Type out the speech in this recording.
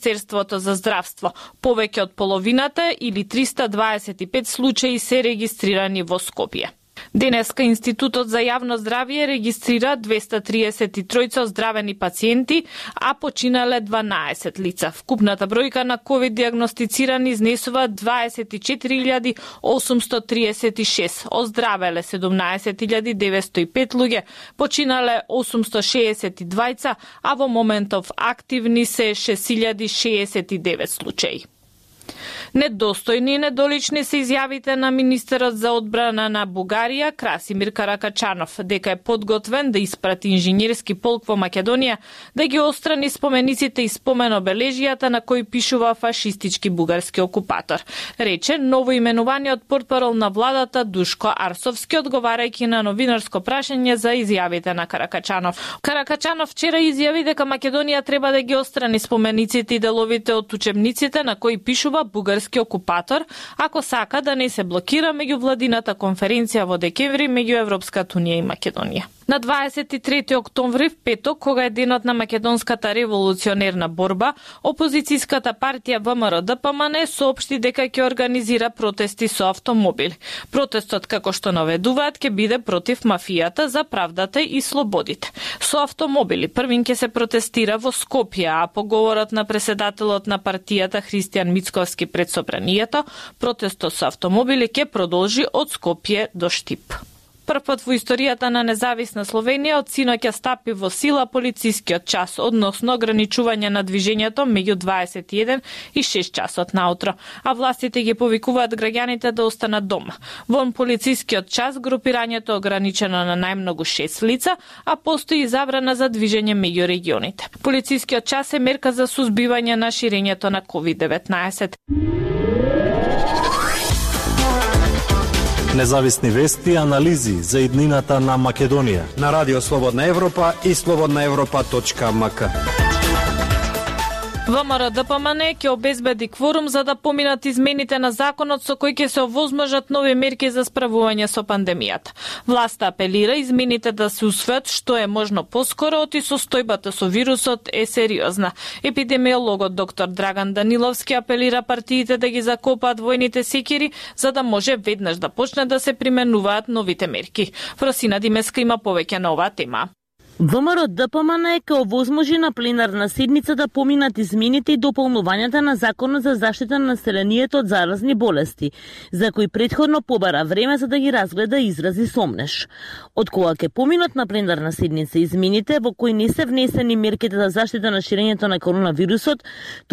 Министерството за здравство. Повеќе од половината или 325 случаи се регистрирани во Скопје. Денеска Институтот за јавно здравје регистрира 233 оздравени пациенти, а починале 12 лица. Вкупната бројка на ковид диагностицирани изнесува 24.836, оздравеле 17.905 луѓе, починале 862, а во моментов активни се 6.069 случаи. Недостојни и недолични се изјавите на министерот за одбрана на Бугарија, Красимир Каракачанов, дека е подготвен да испрати инженерски полк во Македонија, да ги отстрани спомениците и споменобележијата на кои пишува фашистички бугарски окупатор. Рече ново именуваниот портпарол на владата Душко Арсовски, одговарајќи на новинарско прашање за изјавите на Каракачанов. Каракачанов вчера изјави дека Македонија треба да ги отстрани спомениците и деловите од учебниците на кои пишува бугарски окупатор, ако сака да не се блокира меѓувладината конференција во декември меѓу Европската унија и Македонија. На 23 октомври, в петок, кога е денот на македонската револуционерна борба, опозицијската партија ВМРО-ДПМН соопшти дека ќе организира протести со автомобили. Протестот, како што наведуваат, ќе биде против мафијата за правдата и слободите. Со автомобили првин ќе се протестира во Скопје, а по говорот на преседателот на партијата Христијан Мицковски пред собранието, протестот со автомобили ќе продолжи од Скопје до Штип. Првпат во историјата на независна Словенија од синоќа стапи во сила полицискиот час, односно ограничување на движењето меѓу 21 и 6 часот наутро, а властите ги повикуваат граѓаните да останат дома. Во полицискиот час групирањето ограничено на најмногу 6 лица, а постои забрана за движење меѓу регионите. Полицискиот час е мерка за сузбивање на ширењето на COVID-19. Независни вести и анализи за иднината на Македонија на Радио Слободна Европа и slobodnaevropa.mk. ВМРО-ДПМН ќе обезбеди кворум за да поминат измените на законот со кои ќе се овозможат нови мерки за справување со пандемијата. Власта апелира измените да се усвојат што е можно поскоро, оти состојбата со вирусот е сериозна. Епидемиологот доктор Драган Даниловски апелира партиите да ги закопаат војните секири за да може веднаш да почне да се применуваат новите мерки. Фросина Димеска има повеќе на оваа тема. ВМРО-ДПМН ќе овозможи на пленарна седница да поминат измените и дополнувањата на Законот за заштита на населението од заразни болести, за кои претходно побара време за да ги разгледа и изрази сомнеш. Од кога ќе поминат на пленарна седница измените во кои не се внесени мерките за заштита на ширењето на коронавирусот, туку